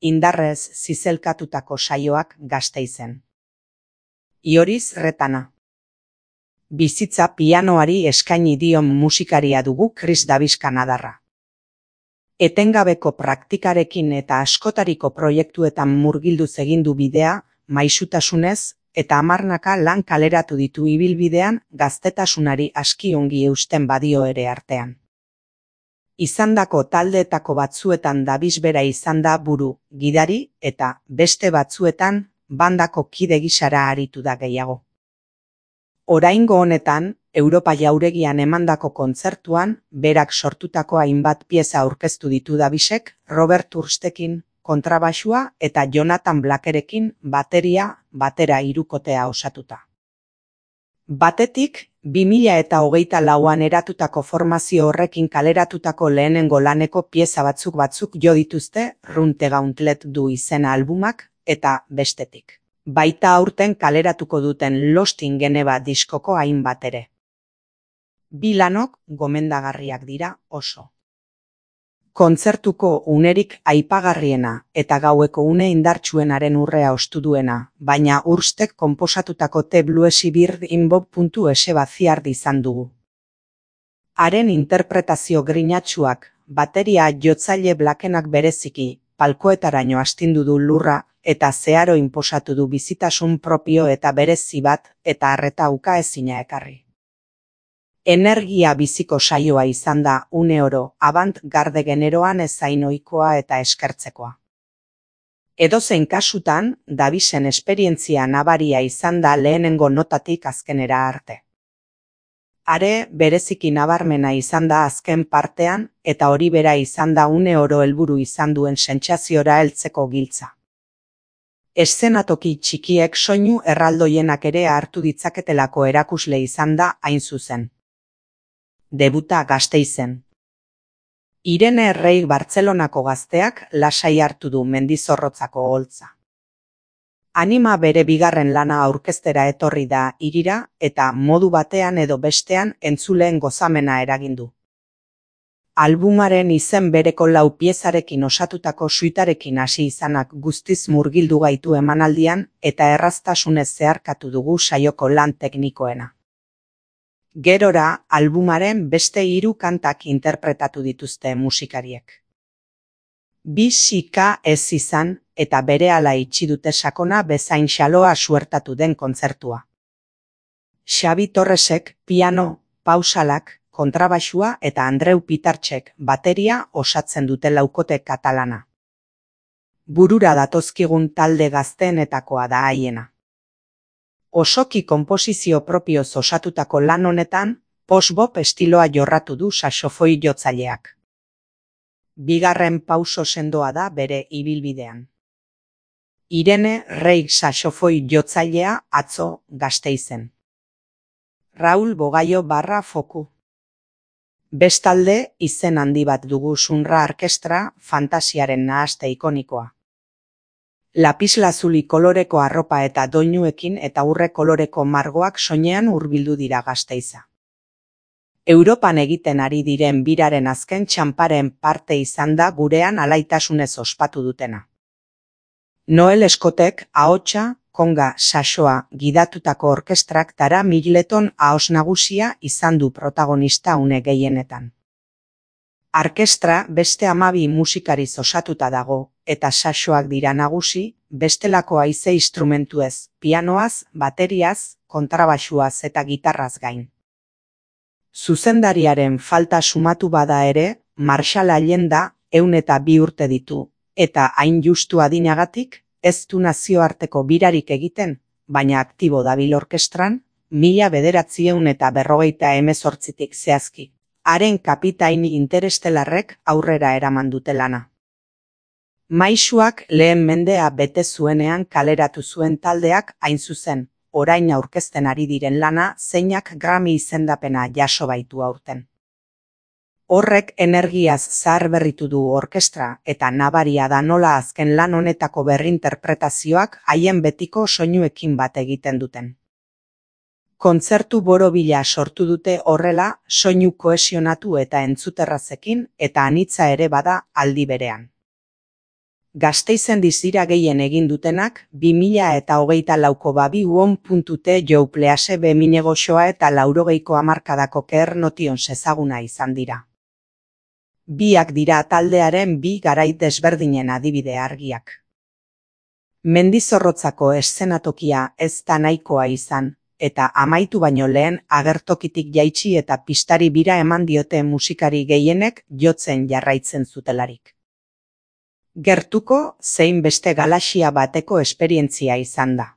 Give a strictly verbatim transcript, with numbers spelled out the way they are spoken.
indarrez zizelkatutako saioak Gasteizen. Ioriz Retana. Bizitza pianoari eskaini dion musikaria dugu Kris Davis Kanadarra. Etengabeko praktikarekin eta askotariko proiektuetan murgilduz egin du bidea, maisutasunez, eta hamarnaka lan kaleratu ditu ibilbidean gaztetasunari aski ongi eusten badio ere artean. Izandako taldeetako batzuetan Davis bera izan da buru, gidari, eta beste batzuetan bandako kide gisara aritu da gehiago. Oraingo honetan, Europa jauregian emandako kontzertuan, berak sortutako hainbat pieza aurkeztu ditu Davisek, Robert Urstekin kontrabaxua eta Jonathan Blackerekin bateria, batera hirukotea osatuta. Batetik, bi mila eta hogeita lauan eratutako formazio horrekin kaleratutako lehenengo laneko pieza batzuk batzuk jo dituzte Run the Gauntlet du izena albumak, eta bestetik. Baita aurten kaleratuko duten Lost in Geneva diskoko hainbat ere. Bi lanok gomendagarriak dira oso. Kontzertuko unerik aipagarriena eta gaueko une indartsuenaren urrea ostu duena, baina Urstek konposatutako The Bluesy Bird in Bob.es baziard izan dugu. Haren interpretazio grinatsuak, bateria jotzaile Blackenak bereziki, palkoetaraino astindu du lurra, eta zeharo inposatu du bizitasun propio eta berezi bat eta arreta ukaezina ekarri. Energia biziko saioa izan da une oro avant-garde generoan ezain ohikoa eta eskertzekoa. Edozein kasutan, Davisen esperientzia nabaria izan da lehenengo notatik azkenera arte. Are bereziki nabarmena izan da azken partean eta hori bera izan da une oro helburu izan duen sentsaziora heltzeko giltza. Eszenatoki txikiek soinu erraldoienak ere hartu ditzaketelako erakusle izan da hain zuzen. Debuta Gasteizen. Irene Errei Bartzelonako gazteak lasai hartu du mendizorrotzako holtza. Anima bere bigarren lana aurkeztera etorri da hirira eta modu batean edo bestean entzuleen gozamena eragin du. Albumaren izen bereko lau piezarekin osatutako suitarekin hasi izanak guztiz murgildu gaitu emanaldian eta erraztasunez zeharkatu dugu saioko lan teknikoena. Gerora, albumaren beste hiru kantak interpretatu dituzte musikariek. Bi sika ez izan eta berehala itxi dute sakona bezain xaloa suertatu den kontzertua. Xabi Torresek piano, pausalak, kontrabaxua eta Andreu Pitartxek bateria osatzen dute laukote katalana. Burura datozkigun talde gazteenetakoa da haiena. Osoki konposizio propioz osatutako lan honetan, post-bop estiloa jorratu du saxofoi jotzaileak. Bigarren pauso sendoa da bere ibilbidean. Irene Rei saxofoi jotzailea atzo Gasteizen. Raul Bogaio barra foku. Bestalde, izen handi bat dugu Sunra Orkestra fantasiaren nahaste ikonikoa. Lapislazuli koloreko arropa eta doinuekin eta urre koloreko margoak soinean hurbildu dira Gasteiza. Europan egiten ari diren biraren azken txanparen parte izan da gurean alaitasunez ospatu dutena. Noel Scottek ahotsa, konga, saxoa gidatutako orkestrak Tara Middleton ahos nagusia izan du protagonista une gehienetan. Orkestra beste hamabi musikariz osatuta dago, eta saxoak dira nagusi, bestelako haize instrumentuez, pianoaz, bateriaz, kontrabaxuaz eta gitarraz gain. Zuzendariaren falta sumatu bada ere, Marshall Allenda ehun eta bi urte ditu, eta hain justu adinagatik, ez du nazioarteko birarik egiten, baina aktibo dabil orkestran, mila bederatziehun eta berrogeita hemezortzitik zehazki. Haren kapitain interestelarrek aurrera eraman dute lana. Maisuak lehen mendea bete zuenean kaleratu zuen taldeak hain zuzen, orain aurkezten ari diren lana zeinak Grammy izendapena jaso baitu aurten. Horrek energiaz zaharberritu du orkestra eta nabaria da nola azken lan honetako berrinterpretazioak haien betiko soinuekin bat egiten duten. Kontzertu borobila sortu dute horrela soinu kohesionatu eta entzuterrazekin eta anitza ere bada aldi berean. Gasteizen dizira gehien egin dutenak, bi mila eta hogeita lauko babi uon puntu te jouplease bemine goxoa eta laurogeiko hamarkadako ker notion sezaguna izan dira. Biak dira taldearen bi garai desberdinen adibide argiak. Mendizorrotzako eszenatokia ez da nahikoa izan, eta amaitu baino lehen agertokitik jaitsi eta pistari bira eman diote musikari gehienek jotzen jarraitzen zutelarik. Gertuko zein beste galaxia bateko esperientzia izan da.